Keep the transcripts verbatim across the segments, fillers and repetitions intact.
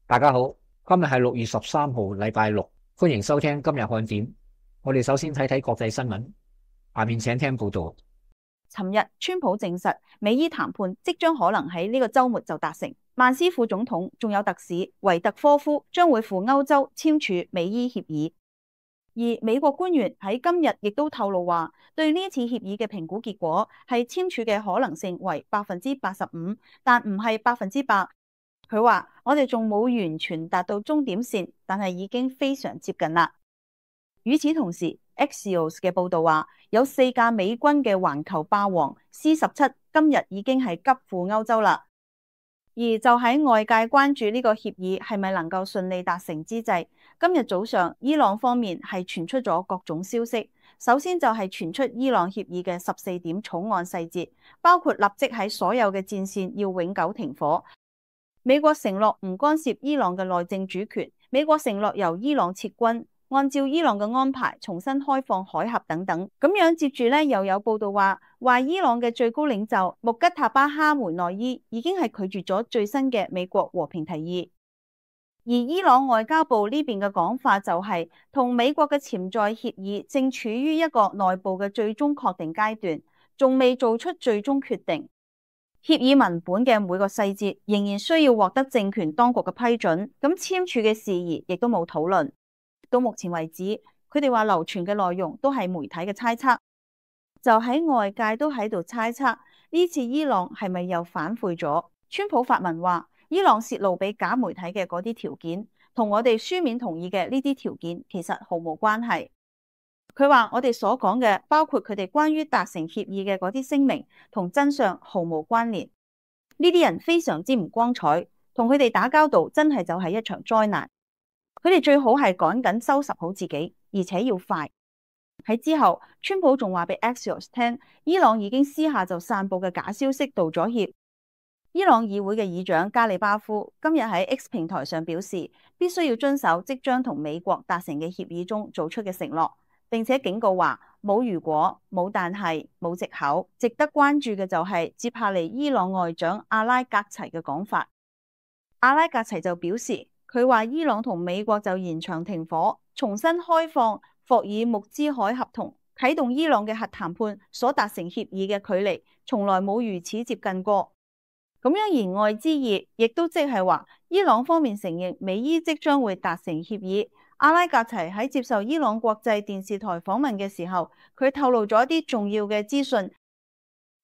大家好，今日係六月十三號，禮拜六，歡迎收聽今日看點。我哋首先睇睇國際新聞，下面請聽報道。尋日，川普證實美伊談判即將可能喺呢個週末就達成。曼斯副總統仲有特使維特科夫將會赴歐洲簽署美伊協議。而美國官員喺今日亦都透露話，對呢次協議嘅評估結果係簽署嘅可能性為百分之八十五，但唔係百分之百。佢話：我哋仲冇完全達到終點線，但係已經非常接近啦。與此同時，Axios 嘅報導話，有四架美軍嘅環球霸王 C 十七今日已經係急赴歐洲啦。而就喺外界關注呢個協議係咪能夠順利達成之際，今日早上伊朗方面係傳出咗各種消息。首先就係傳出伊朗協議嘅十四點草案細節，包括立即喺所有嘅戰線要永久停火。美國承諾唔干涉伊朗嘅內政主權，美國承諾由伊朗撤軍，按照伊朗嘅安排重新開放海峽等等。咁樣接住咧，又有報道話，話伊朗嘅最高領袖穆吉塔巴哈梅內伊已經係拒絕咗最新嘅美國和平提議。而伊朗外交部呢邊嘅講法就係，同美國嘅潛在協議正處於一個內部嘅最終確定階段，仲未做出最終決定。協議文本嘅每個細節仍然需要獲得政權當局嘅批准，咁簽署嘅事宜亦都冇討論。到目前為止，佢哋話流傳嘅內容都係媒體嘅猜測，就喺外界都喺度猜測呢次伊朗係咪又反悔咗？川普發文話，伊朗泄露俾假媒體嘅嗰啲條件，同我哋書面同意嘅呢啲條件其實毫無關係。佢話我哋所講嘅，包括佢哋關於達成協議嘅嗰啲聲明，同真相毫無關聯。呢啲人非常之唔光彩，同佢哋打交道真係就係一場災難。佢哋最好係趕緊收拾好自己，而且要快。喺之後，川普仲話俾 Axios 聽，伊朗已經私下就散布嘅假消息道咗歉。伊朗議會嘅議長加里巴夫今日喺 X 平台上表示，必須要遵守即將同美國達成嘅協議中做出嘅承諾。並且警告話，冇如果，冇但係，冇藉口。值得關注嘅就係接下嚟伊朗外長阿拉格齊嘅講法。阿拉格齊就表示，佢話伊朗同美國就延長停火、重新開放霍爾木茲海峽同啟動伊朗嘅核談判所達成協議嘅距離，從來冇如此接近過。咁樣言外之意，亦都即係話，伊朗方面承認美伊即將會達成協議。阿拉格齊喺接受伊朗國際電視台訪問嘅時候，佢透露咗一啲重要嘅資訊。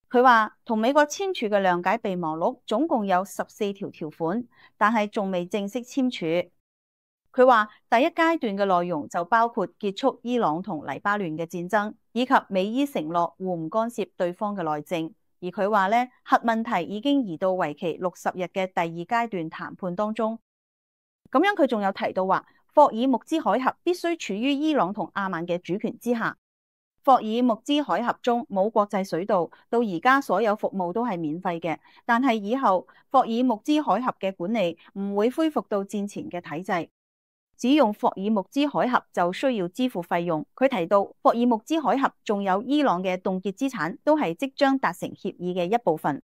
佢話同美國簽署嘅諒解備忘錄總共有十四條條款，但係仲未正式簽署。佢話第一階段嘅內容就包括結束伊朗同黎巴嫩嘅戰爭，以及美伊承諾互唔干涉對方嘅內政。而佢話咧，核問題已經移到為期六十日嘅第二階段談判當中。咁樣佢仲有提到話，霍爾木茲海峽必須處於伊朗同阿曼嘅主權之下。霍爾木茲海峽中冇國際水道，到而家所有服務都係免費嘅。但係以後霍爾木茲海峽嘅管理唔會恢復到戰前嘅體制，只用霍爾木茲海峽就需要支付費用。佢提到霍爾木茲海峽仲有伊朗嘅凍結資產，都係即將達成協議嘅一部分。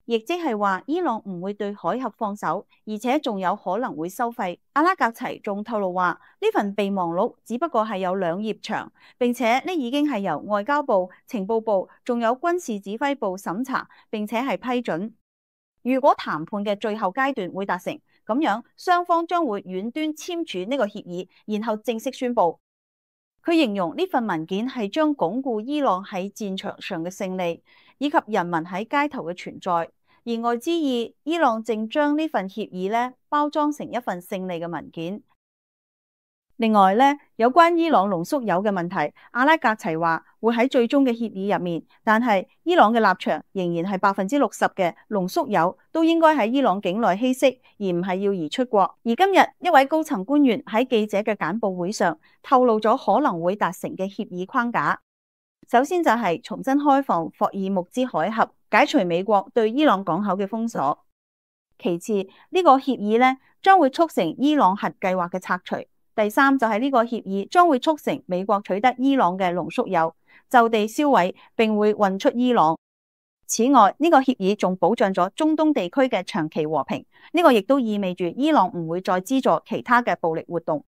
亦即係話，伊朗唔會對海峽放手，而且仲有可能會收費。阿拉格齊仲透露話，呢份備忘錄只不過係有兩頁長，並且呢已經係由外交部、情報部仲有軍事指揮部審查，並且係批准。如果談判嘅最後階段會達成，咁樣雙方將會遠端簽署呢個協議，然後正式宣布。佢形容呢份文件係將鞏固伊朗喺戰場上嘅勝利，以及人民喺街頭嘅存在。言外之意，伊朗正將呢份協議咧包裝成一份勝利嘅文件。另外咧，有關伊朗濃縮鈾嘅問題，阿拉格齊話會喺最終嘅協議入面，但係伊朗嘅立場仍然係百分之六十嘅濃縮鈾都應該喺伊朗境內稀釋，而唔係要移出國。而今日一位高層官員喺記者嘅簡報會上透露咗可能會達成嘅協議框架。首先就係重新開放霍爾木茲海峽，解除美國對伊朗港口嘅封鎖。其次，呢個協議咧將會促成伊朗核計劃嘅拆除。第三就係呢個協議將會促成美國取得伊朗嘅濃縮鈾，就地銷毀，並會運出伊朗。此外，呢個協議仲保障咗中東地區嘅長期和平，呢個亦都意味住伊朗唔會再資助其他嘅暴力活動。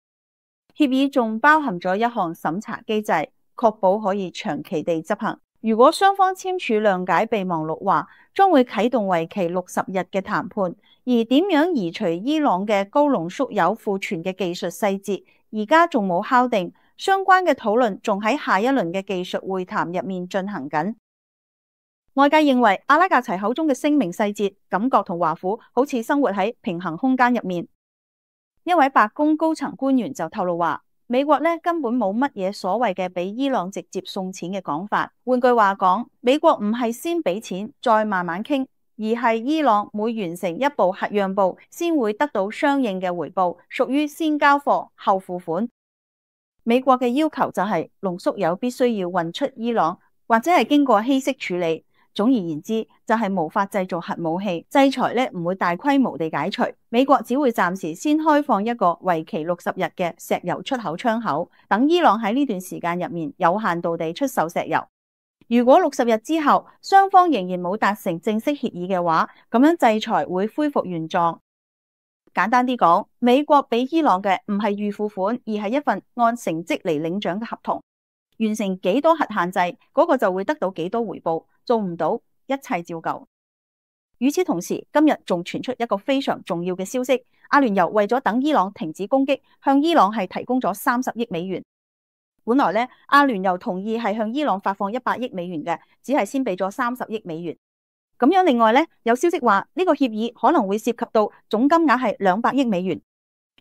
協議仲包含咗一項審查機制，確保可以長期地執行。如果雙方簽署諒解備忘錄話，將會啟動為期六十日嘅談判，而點樣移除伊朗嘅高濃縮鈾庫存嘅技術細節，而家仲冇敲定，相關嘅討論仲喺下一輪嘅技術會談入面進行緊。外界認為阿拉格齊口中嘅聲明細節，感覺同華府好似生活喺平行空間入面。一位白宮高層官員就透露話，美國咧根本冇乜嘢所謂嘅俾伊朗直接送錢嘅講法。換句話講，美國唔係先俾錢再慢慢傾，而係伊朗每完成一步核讓步，先會得到相應嘅回報，屬於先交貨後付款。美國嘅要求就係濃縮鈾必須要運出伊朗，或者係經過稀釋處理。總而言之，就係無法製造核武器，制裁咧唔會大規模地解除，美國只會暫時先開放一個為期六十日嘅石油出口窗口，等伊朗喺呢段時間入面有限度地出售石油。如果六十日之後雙方仍然冇達成正式協議嘅話，咁樣制裁會恢復原狀。簡單啲講，美國俾伊朗嘅唔係預付款，而係一份按成績嚟領獎嘅合同。完成幾多核限制，嗰個就會得到幾多回報，做唔到一切照舊。與此同時，今日仲傳出一個非常重要嘅消息，阿聯酋為咗等伊朗停止攻擊，向伊朗係提供咗三十億美元。本來咧，阿聯酋同意係向伊朗發放一百億美元嘅，只係先俾咗三十億美元。咁樣另外咧，有消息話呢個協議可能會涉及到總金額係兩百億美元。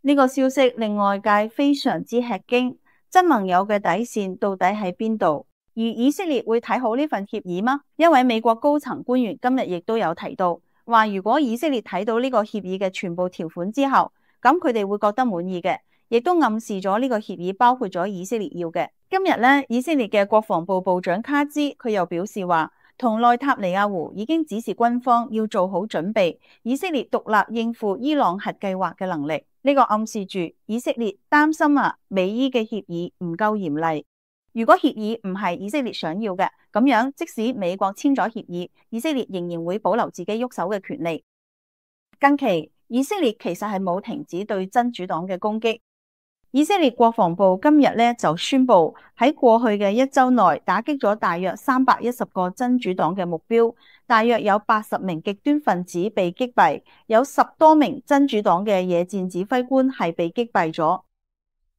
呢個消息令外界非常之吃驚。真盟友嘅底線到底喺邊度？而以色列會睇好呢份協議嗎？一位美國高層官員今日亦都有提到，話如果以色列睇到呢個協議嘅全部條款之後，咁佢哋會覺得滿意嘅，亦都暗示咗呢個協議包括咗以色列要嘅。今日咧，以色列嘅國防部部長卡茲佢又表示話，同內塔尼亞胡已經指示軍方要做好準備，以色列獨立應付伊朗核計劃嘅能力。呢個暗示住以色列擔心啊，美伊嘅協議唔夠嚴厲。如果協議唔係以色列想要嘅，咁樣即使美國簽咗協議，以色列仍然會保留自己喐手嘅權利。近期以色列其實係冇停止對真主黨嘅攻擊。以色列國防部今日咧就宣布喺過去嘅一周內打擊咗大約三百一十個真主黨嘅目標，大約有八十名極端分子被擊斃，有十多名真主黨嘅野戰指揮官係被擊斃咗。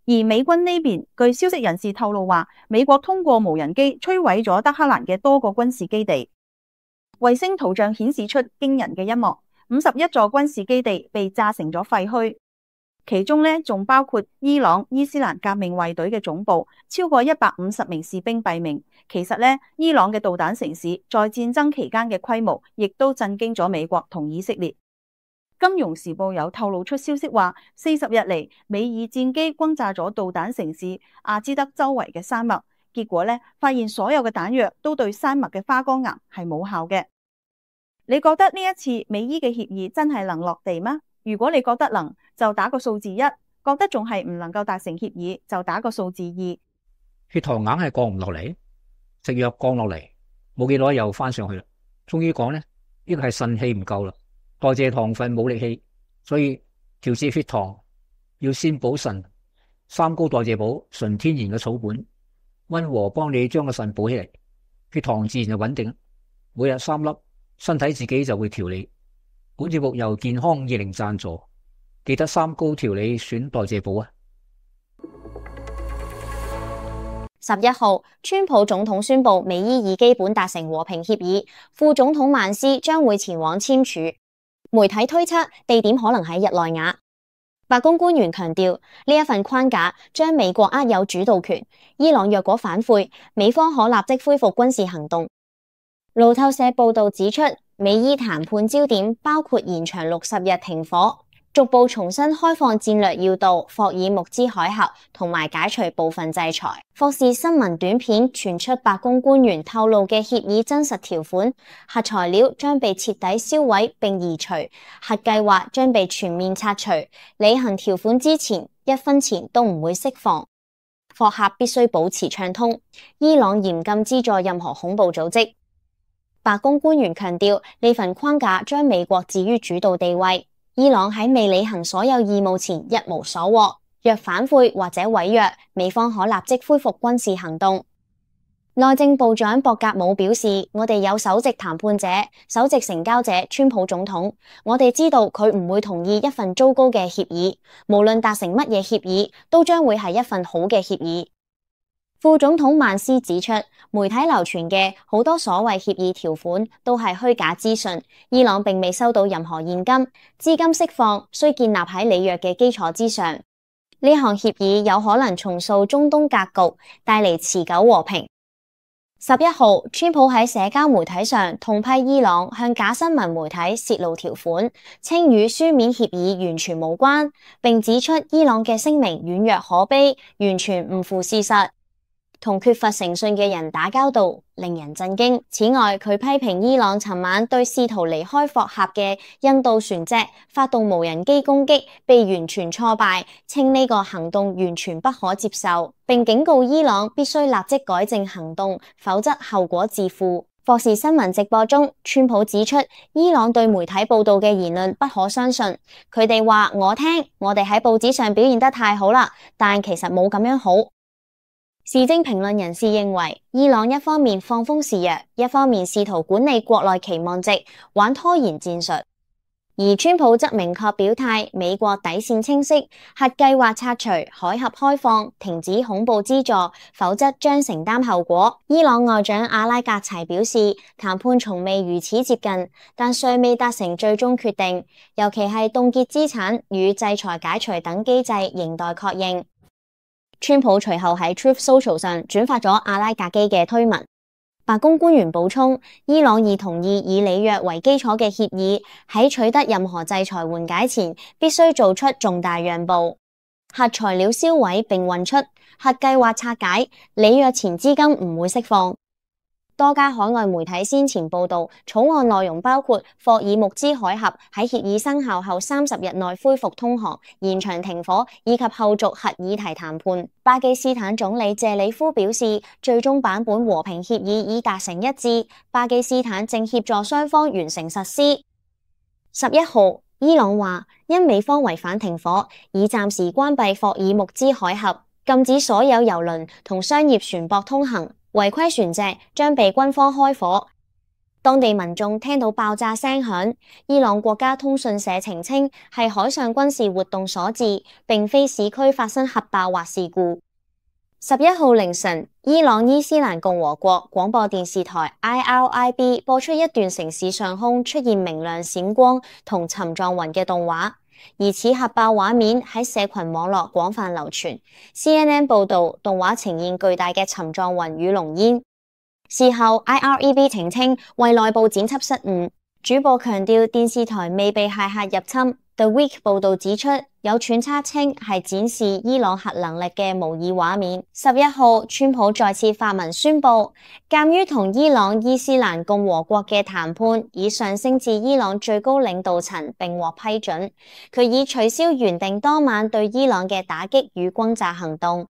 而美軍呢邊，據消息人士透露話，美國通過無人機摧毀咗德黑蘭嘅多個軍事基地。衛星圖像顯示出驚人嘅一幕，五十一座軍事基地被炸成咗廢墟。其中咧仲包括伊朗伊斯蘭革命衛隊嘅總部，超過一百五十名士兵斃命。其實咧，伊朗嘅導彈城市在戰爭期間嘅規模，亦都震驚咗美國同以色列。金融時報有透露出消息話，四十日嚟，美爾戰機轟炸咗導彈城市阿茲德周圍嘅山脈，結果咧發現所有嘅彈藥都對山脈嘅花崗岩係冇效嘅。你覺得呢一次美伊嘅協議真係能落地嗎？如果你覺得能，就打個數字一；覺得仲係唔能夠達成協議，就打個數字二。血糖硬係降唔落嚟，食藥降落嚟，冇幾耐又翻上去啦。終於講呢，呢個係腎氣唔夠啦，代謝糖分冇力氣，所以調節血糖要先補腎。三高代謝補，純天然嘅草本，溫和幫你將個腎補起嚟，血糖自然就穩定。每日三粒，身體自己就會調理。本節目由健康二零贊助，記得三高調理選代謝補啊！十一號，川普總統宣布美伊已基本達成和平協議，副總統曼斯將會前往簽署。媒體推測地點可能喺日內瓦。白宮官員強調，呢一份框架將美國握有主導權。伊朗若果反悔，美方可立即恢復軍事行動。路透社報道指出，美伊談判焦點包括延長六十日停火，逐步重新開放戰略要道霍爾木茲海峽，同埋解除部分制裁。霍士新聞短片傳出白宮官員透露嘅協議真實條款：核材料將被徹底銷毀並移除，核計劃將被全面拆除。履行條款之前，一分錢都唔會釋放。霍克必須保持暢通。伊朗嚴禁資助任何恐怖組織。白宮官員強調，呢份框架將美國置於主導地位。伊朗喺未履行所有義務前一無所獲，若反悔或者違約，美方可立即恢復軍事行動。內政部長博格姆表示，我哋有首席談判者、首席成交者川普總統，我哋知道佢唔會同意一份糟糕嘅協議，無論達成乜嘢協議，都將會係一份好嘅協議。副總統曼斯指出，媒體流傳嘅好多所謂協議條款都係虛假資訊，伊朗並未收到任何現金，資金釋放需建立喺履約嘅基礎之上。呢項協議有可能重塑中東格局，帶嚟持久和平。十一號，川普喺社交媒體上痛批伊朗向假新聞媒體泄露條款，稱與書面協議完全無關，並指出伊朗嘅聲明軟弱可悲，完全唔符事實，同缺乏誠信嘅人打交道，令人震驚。此外，佢批評伊朗尋晚對試圖離開霍峽嘅印度船隻發動無人機攻擊，被完全挫敗，稱呢個行動完全不可接受，並警告伊朗必須立即改正行動，否則後果自負。霍士新聞直播中，川普指出伊朗對媒體報道嘅言論不可相信，佢哋話我聽，我哋喺報紙上表現得太好啦，但其實冇咁樣好。時政評論人士認為，伊朗一方面放風示弱，一方面試圖管理國內期望值，玩拖延戰術。而川普則明確表態，美國底線清晰，核計劃拆除、海峽開放、停止恐怖資助，否則將承擔後果。伊朗外長阿拉格齊表示，談判從未如此接近，但尚未達成最終決定，尤其係凍結資產與制裁解除等機制仍待確認。川普隨後喺 Truth Social 上轉發咗阿拉格基嘅推文。白宮官員補充，伊朗已同意以履約為基礎嘅協議，喺取得任何制裁緩解前，必須做出重大讓步。核材料銷毀並運出，核計劃拆解，履約前資金唔會釋放。多家海外媒體先前報道，草案內容包括霍爾木茲海峽喺協議生效後三十日內恢復通航、延長停火以及後續核議題談判。巴基斯坦總理謝里夫表示，最終版本和平協議已達成一致，巴基斯坦正協助雙方完成實施。十一號，伊朗話因美方違反停火，已暫時關閉霍爾木茲海峽，禁止所有郵輪同商業船舶通行。違規船隻將被軍方開火。當地民眾聽到爆炸聲響，伊朗國家通訊社澄清係海上軍事活動所致，並非市區發生核爆或事故。十一號凌晨，伊朗伊斯蘭共和國廣播電視台 I R I B 播出一段城市上空出現明亮閃光同沉狀雲嘅動畫。疑似核爆畫面喺社群網絡廣泛流傳。C N N 報道，動畫呈現巨大嘅沉狀雲與濃煙。事後 I R I B 澄清為內部剪輯失誤，主播強調電視台未被駭客入侵。The Week 報道指出，有揣測稱係展示伊朗核能力嘅模擬畫面。十一號，川普再次發文宣布，鑒於同伊朗伊斯蘭共和國嘅談判已上升至伊朗最高領導層並獲批准，佢已取消原定當晚對伊朗嘅打擊與轟炸行動。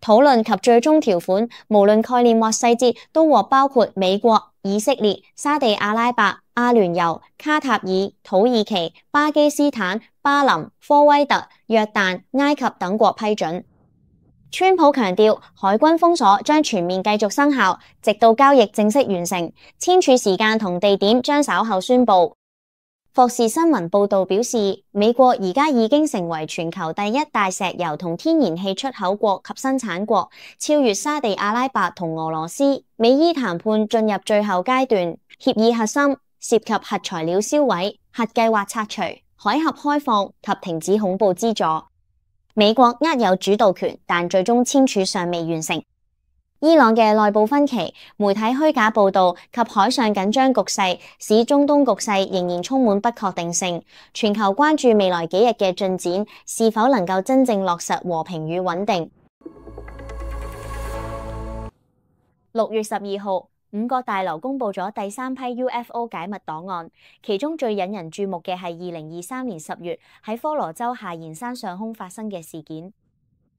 討論及最終條款，無論概念或細節，都獲包括美國、以色列、沙地阿拉伯、阿聯酋、卡塔爾、土耳其、巴基斯坦、巴林、科威特、約旦、埃及等國批准。川普強調，海軍封鎖將全面繼續生效，直到交易正式完成，簽署時間同地點將稍後宣布。霍士新聞報道表示，美國而家已經成為全球第一大石油同天然氣出口國及生產國，超越沙地阿拉伯同俄羅斯。美伊談判進入最後階段，協議核心涉及核材料銷毀、核計劃拆除、海峽開放及停止恐怖資助。美國握有主導權，但最終簽署尚未完成。伊朗嘅內部分歧、媒體虛假報道及海上緊張局勢，使中東局勢仍然充滿不確定性。全球關注未來幾日嘅進展，是否能夠真正落實和平與穩定。六月十二號，五角大樓公布咗第三批 U F O 解密檔案，其中最引人注目嘅係二零二三年十月喺科羅州夏延山上空發生嘅事件。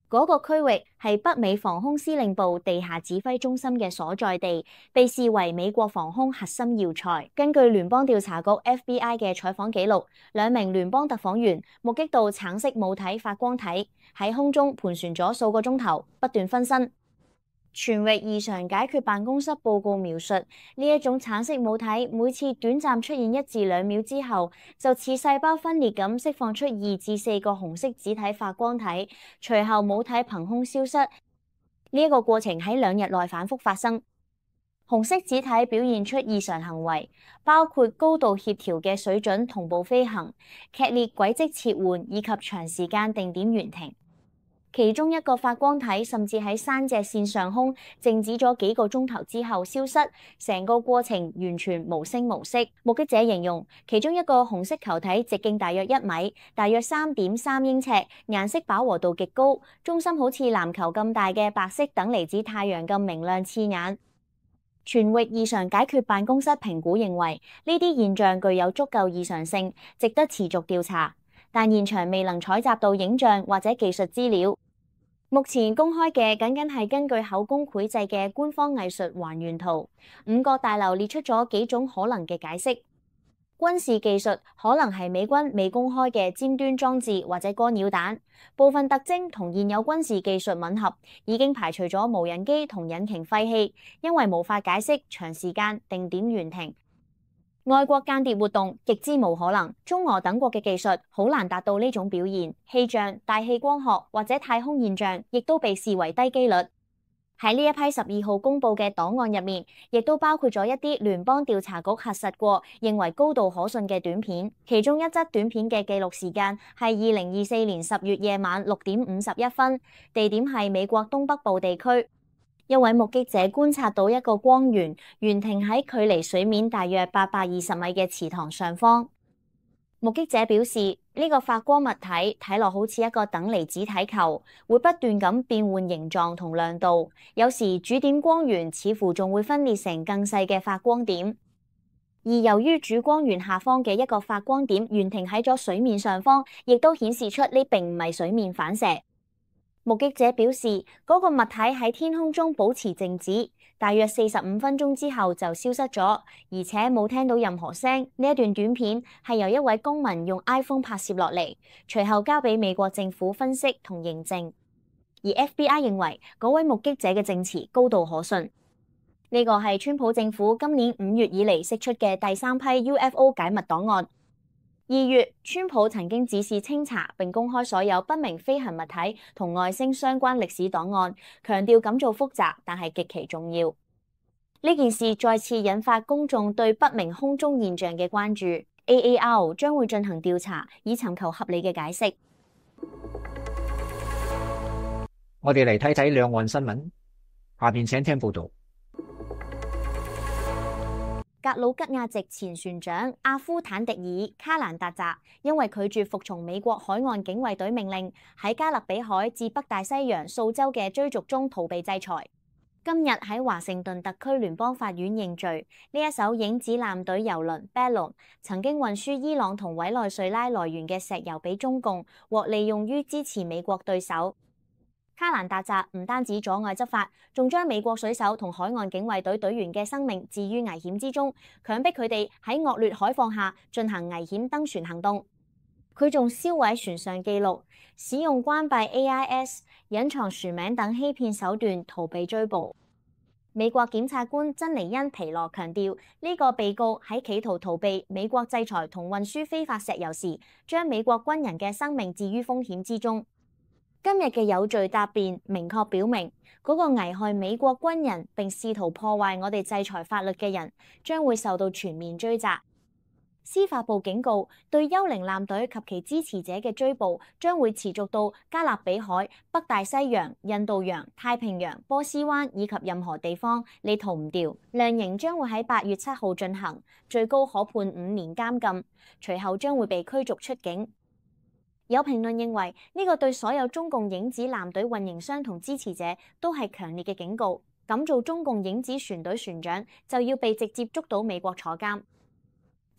嗰個區域係北美防空司令部地下指揮中心嘅所在地，被視為美國防空核心要塞。根據聯邦調查局 F B I 嘅採訪記錄，兩名聯邦特訪員目擊到橙色母體發光體喺空中盤旋咗數個鐘頭，不斷分身。全域異常解決辦公室報告描述，呢一種橙色母體每次短暫出現一至兩秒之後，就似細胞分裂咁釋放出二至四個紅色子體發光體，隨後母體憑空消失。呢、這、一個過程喺兩日內反覆發生。紅色子體表現出異常行為，包括高度協調嘅水準同步飛行、劇烈軌跡切換以及長時間定點懸停。其中一個發光體甚至喺山脊線上空靜止咗幾個鐘頭之後消失，成個過程完全無聲無息。目擊者形容，其中一個紅色球體直徑大約一米，大約三點三英尺，顏色飽和度極高，中心好似籃球咁大嘅白色等離子太陽咁明亮刺眼。全域異常解決辦公室評估認為，呢啲現象具有足夠異常性，值得持續調查，但現場未能採集到影像或者技術資料。目前公開嘅僅僅係根據口供繪製嘅官方藝術還原圖，五角大樓列出咗幾種可能嘅解釋。軍事技術可能係美軍未公開嘅尖端裝置或者干擾彈，部分特徵同現有軍事技術吻合，已經排除咗無人機同引擎廢氣，因為無法解釋長時間定點懸停。外國間諜活動極之無可能，中俄等國嘅技術好難達到呢種表現。氣象、大氣光學或者太空現象亦都被視為低機率。喺呢一批十二號公佈嘅檔案入面，亦都包括咗一啲聯邦調查局核實過、認為高度可信嘅短片。其中一則短片嘅記錄時間係二零二四年十月夜晚六點五十一分，地點係美國東北部地區。一位目擊者觀察到一個光源懸停喺距離水面大約八百二十米嘅池塘上方。目擊者表示，呢、這個發光物體睇落好似一個等離子體球，會不斷咁變換形狀同亮度，有時主點光源似乎仲會分裂成更細嘅發光點。而由於主光源下方嘅一個發光點懸停喺咗水面上方，亦都顯示出呢並唔係水面反射。目擊者表示，嗰、那個物體喺天空中保持靜止，大約四十五分鐘之後就消失咗，而且冇聽到任何聲。呢一段短片係由一位公民用 iPhone 拍攝落嚟，隨後交俾美國政府分析同認證。而 F B I 認為嗰位目擊者嘅證詞高度可信。呢個係川普政府今年五月以嚟釋出嘅第三批 U F O 解密檔案。二月，川普曾經指示清查並公開所有不明飛行物體同外星相關歷史檔案，強調咁做複雜，但係極其重要。呢件事再次引發公眾對不明空中現象嘅關注。A A R 將會進行調查，以尋求合理嘅解釋。我哋嚟睇睇兩岸新聞，下面請聽報道。格魯吉亞籍前船長阿夫坦迪爾卡蘭達扎因為拒絕服從美國海岸警衛隊命令，喺加勒比海至北大西洋數週嘅追逐中逃避制裁。今日喺華盛頓特區聯邦法院認罪。呢一艘影子艦隊郵輪 Bellon 曾經運輸伊朗同委內瑞拉來源嘅石油俾中共，獲利用於支持美國對手。卡蘭達扎唔單止阻礙執法，仲將美國水手同海岸警衛隊隊員嘅生命置於危險之中，強迫佢哋喺惡劣海況下進行危險登船行動。佢仲銷毀船上記錄，使用關閉 A I S、隱藏船名等欺騙手段逃避追捕。美國檢察官珍妮恩皮羅強調，呢、這個被告喺企圖逃避美國制裁同運輸非法石油時，將美國軍人嘅生命置於風險之中。今日嘅有罪答辯明確表明，嗰、那個危害美國軍人並試圖破壞我哋制裁法律嘅人，將會受到全面追責。司法部警告，對幽靈艦隊及其支持者嘅追捕將會持續到加勒比海、北大西洋、印度洋、太平洋、波斯灣以及任何地方，你逃唔掉。量刑將會喺八月七號進行，最高可判五年監禁，隨後將會被驅逐出境。有評論認為，呢、這個對所有中共影子艦隊運營商同支持者都係強烈嘅警告。咁做中共影子船隊船長就要被直接捉到美國坐監。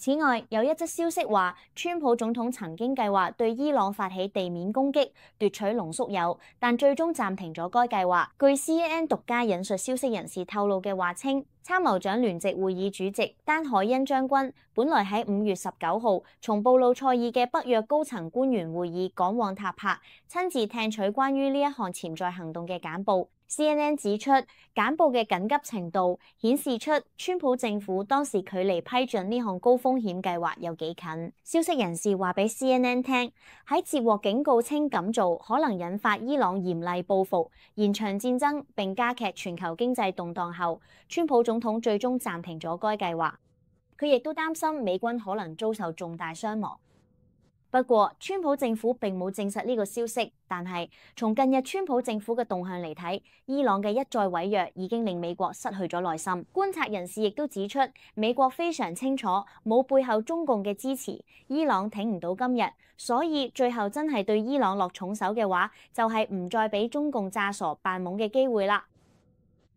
此外，有一則消息話，川普總統曾經計劃對伊朗發起地面攻擊，奪取濃縮鈾，但最終暫停咗該計劃。據 C N N 獨家引述消息人士透露嘅話稱，參謀長聯席會議主席丹海恩將軍本來喺五月十九號從布魯塞爾嘅北約高層官員會議趕往塔帕，親自聽取關於呢一項潛在行動嘅簡報。C N N 指出，簡報嘅緊急程度顯示出川普政府當時距離批准呢項高風險計劃有幾近。消息人士話俾 C N N 聽，喺接獲警告稱咁做可能引發伊朗嚴厲報復、延長戰爭並加劇全球經濟動盪後，川普總統最終暫停咗該計劃。佢亦都擔心美軍可能遭受重大傷亡。不過，川普政府並冇證實呢個消息，但係從近日川普政府嘅動向嚟睇，伊朗嘅一再違約已經令美國失去咗耐心。觀察人士亦都指出，美國非常清楚冇背後中共嘅支持，伊朗挺唔到今日，所以最後真係對伊朗落重手嘅話，就係唔再俾中共詐傻扮懵嘅機會啦。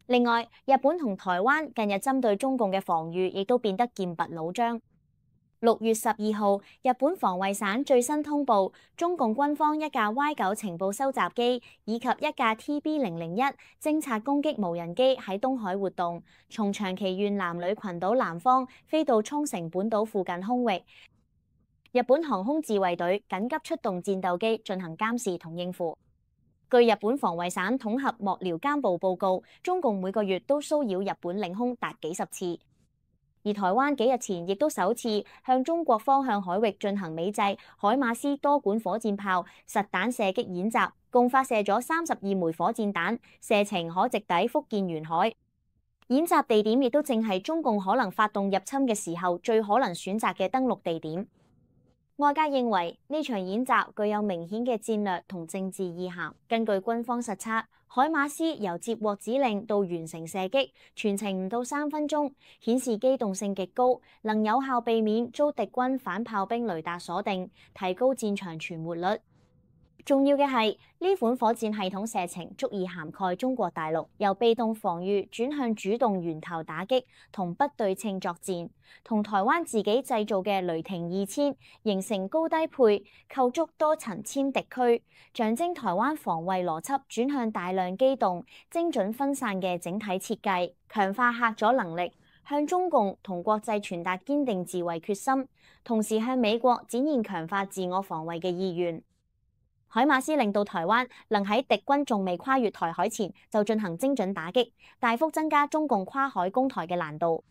另外，日本同台灣近日針對中共嘅防禦亦都變得劍拔弩張。六月十二號，日本防衛省最新通報，中共軍方一架 Y 九情報收集機以及一架 T B 零零一偵察攻擊無人機喺東海活動，從長崎縣男女群島南方飛到沖繩本島附近空域。日本航空自衛隊緊急出動戰鬥機進行監視同應付。據日本防衛省統合幕僚監部報告，中共每個月都騷擾日本領空達幾十次。而台灣幾日前亦都首次向中國方向海域進行美製海馬斯多管火箭炮實彈射擊演習，共發射咗三十二枚火箭彈，射程可直抵福建沿海。演習地點亦都正係中共可能發動入侵嘅時候最可能選擇嘅登陸地點。外界認為呢場演習具有明顯嘅戰略同政治意涵。根據軍方實測，海馬斯由接獲指令到完成射擊，全程唔到三分鐘，顯示機動性極高，能有效避免遭敵軍反炮兵雷達鎖定，提高戰場存活率。重要嘅係呢款火箭系統射程足以涵蓋中國大陸，由被動防禦轉向主動源頭打擊同不對稱作戰，同台灣自己製造嘅雷霆二千形成高低配、構築多層殲敵區，象徵台灣防衛邏輯轉向大量機動、精準分散嘅整體設計，強化嚇阻能力，向中共同國際傳達堅定自衛決心，同時向美國展現強化自我防衛嘅意願。海馬斯令到台灣能喺敵軍仲未跨越台海前就進行精準打擊，大幅增加中共跨海攻台嘅難度。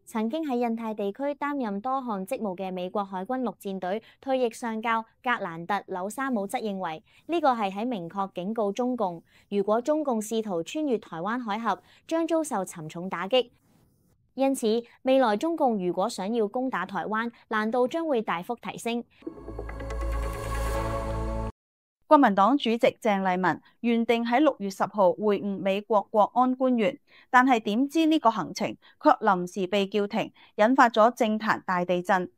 曾經喺印太地區擔任多項職務嘅美國海軍陸戰隊退役上校格蘭特紐沙姆則認為，呢個係喺明確警告中共，如果中共試圖穿越台灣海峽，將遭受沉重打擊。因此，未來中共如果想要攻打台灣，難度將會大幅提升。國民黨主席鄭麗文原定喺六月十號會晤美國國安官員，但係點知呢個行程卻臨時被叫停，引發咗政壇大地震。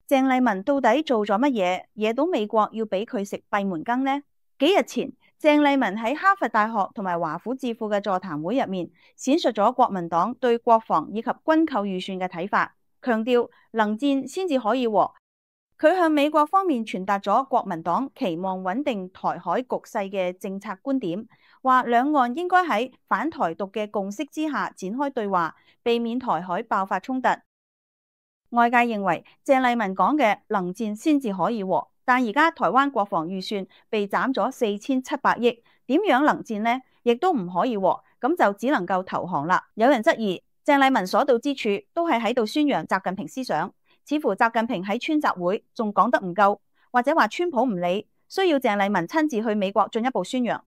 鄭麗文到底做咗乜嘢，惹到美國要俾佢食閉門羹呢？幾日前，鄭麗文喺哈佛大學同埋華府智庫嘅座談會入面，闡述咗國民黨對國防以及軍購預算嘅睇法，強調能戰先至可以和。佢向美國方面傳達咗國民黨期望穩定台海局勢嘅政策觀點，話兩岸應該喺反台獨嘅共識之下展開對話，避免台海爆發衝突。外界認為鄭麗文講嘅能戰先至可以和，但而家台灣國防預算被斬咗四千七百億，點樣能戰呢？亦都唔可以和，咁就只能夠投降啦。有人質疑鄭麗文所到之處都係喺度宣揚習近平思想。似乎習近平喺川習會仲講得唔夠，或者話川普唔理，需要鄭麗文親自去美國進一步宣揚。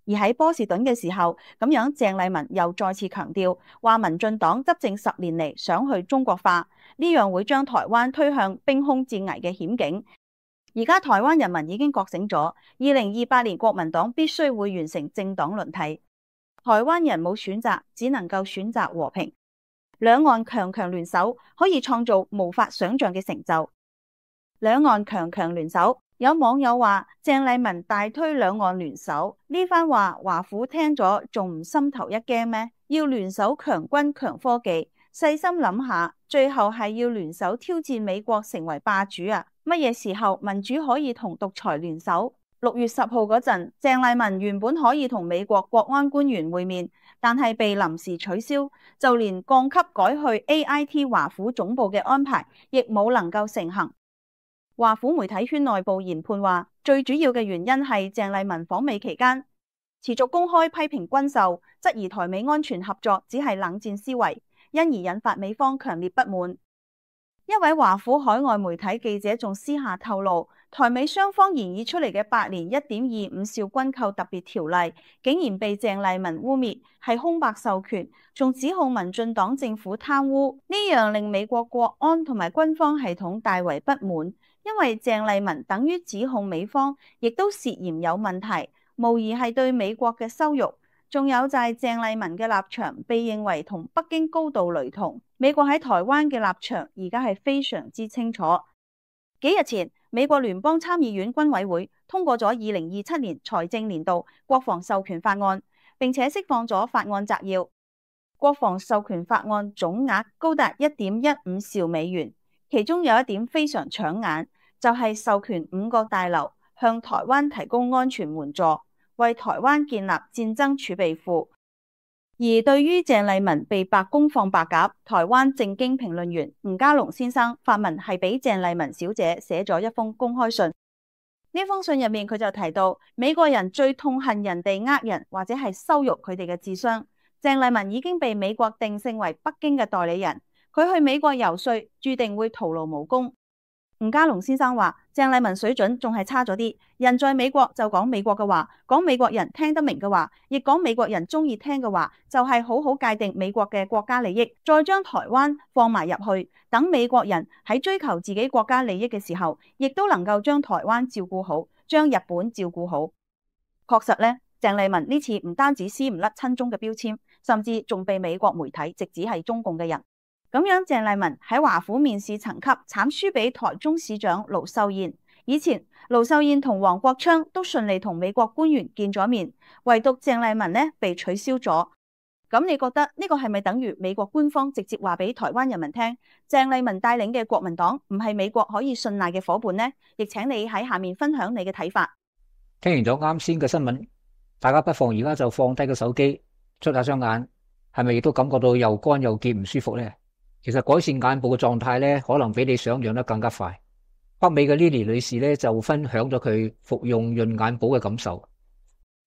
而喺波士頓嘅時候，咁樣鄭麗文又再次強調，話民進黨執政十年嚟想去中國化，呢樣會將台灣推向兵凶戰危嘅險境。而家台灣人民已經覺醒咗，二零二八年國民黨必須會完成政黨輪替，台灣人冇選擇，只能夠選擇和平。兩岸強強聯手可以創造無法想象嘅成就。兩岸強強聯手，有網友話鄭麗文大推兩岸聯手，呢番話華府聽咗仲唔心頭一驚咩？要聯手強軍強科技，細心諗下，最後係要聯手挑戰美國成為霸主啊！乜嘢時候民主可以同獨裁聯手？六月十號嗰陣，鄭麗文原本可以同美國國安官員會面，但係被臨時取消，就連降級改去 A I T 華府總部嘅安排，亦冇能夠成行。華府媒體圈內部研判話，最主要嘅原因係鄭麗文訪美期間持續公開批評軍售，質疑台美安全合作只係冷戰思維，因而引發美方強烈不滿。一位華府海外媒體記者仲私下透露，台美雙方研議出嚟嘅八年一點二五兆軍購特別條例，竟然被鄭麗文污蔑係空白授權，仲指控民進黨政府貪污，呢樣令美國國安同埋軍方系統大為不滿，因為鄭麗文等於指控美方亦都涉嫌有問題，無疑係對美國嘅羞辱。仲有就係鄭麗文嘅立場被認為同北京高度雷同，美國喺台灣嘅立場而家係非常之清楚。幾日前，美國聯邦參議院軍委會通過咗二零二七年財政年度國防授權法案，並且釋放咗法案摘要。國防授權法案總額高達一點一五兆美元，其中有一點非常搶眼，就係授權五個大樓向台灣提供安全援助，為台灣建立戰爭儲備庫。而對於鄭麗文被白宮放白鴿，台灣政經評論員吳家龍先生發文係俾鄭麗文小姐寫咗一封公開信。呢封信入面佢就提到，美國人最痛恨人哋呃人或者係羞辱佢哋嘅智商。鄭麗文已經被美國定性為北京嘅代理人，佢去美國遊說注定會徒勞無功。吳家龍先生話，鄭麗文水準仲係差咗啲，人在美國就講美國嘅話，講美國人聽得明嘅話，亦講美國人中意聽嘅話，就係好好界定美國嘅國家利益，再將台灣放埋入去，等美國人喺追求自己國家利益嘅時候，亦都能夠將台灣照顧好，將日本照顧好。確實呢，鄭麗文呢次唔單止撕唔甩親中嘅標籤，甚至仲被美國媒體直指係中共嘅人。咁樣，鄭麗文喺華府面試層級慘輸俾台中市長盧秀燕。以前盧秀燕同黃國昌都順利同美國官員見咗面，唯獨鄭麗文呢被取消咗。咁你覺得呢個係咪等於美國官方直接話俾台灣人民聽，鄭麗文帶領嘅國民黨唔係美國可以信賴嘅伙伴呢？亦請你喺下面分享你嘅睇法。聽完咗啱先嘅新聞，大家不妨而家就放低個手機，捽下雙眼，係咪亦都感覺到又乾又澀唔舒服呢？其實改善眼部嘅狀態咧，可能比你想象得更加快。北美嘅 Lily 女士咧就分享咗佢服用潤眼寶嘅感受。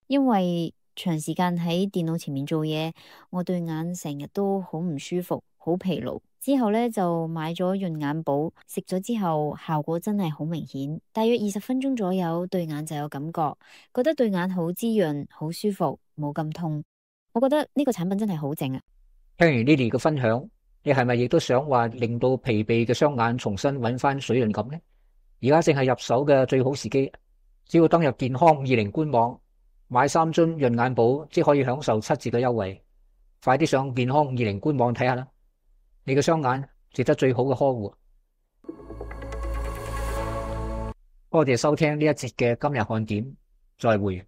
因為長時間喺電腦前面做嘢，我對眼成日都好唔舒服，好疲勞。之後咧就買咗潤眼寶，食咗之後效果真係好明顯，大約二十分鐘左右對眼就有感覺，覺得對眼好滋潤，好舒服，冇咁痛。我覺得呢個產品真係好正啊！聽完 Lily 嘅分享，你係咪亦都想話令到疲憊嘅雙眼重新揾翻水潤感呢？而家正係入手嘅最好時機，只要登入健康五二零官網買三樽潤眼寶，即可以享受七折嘅優惠。快啲上健康五二零官網睇下啦！你嘅雙眼值得最好嘅呵護。多謝收聽呢一節嘅今日看點，再會。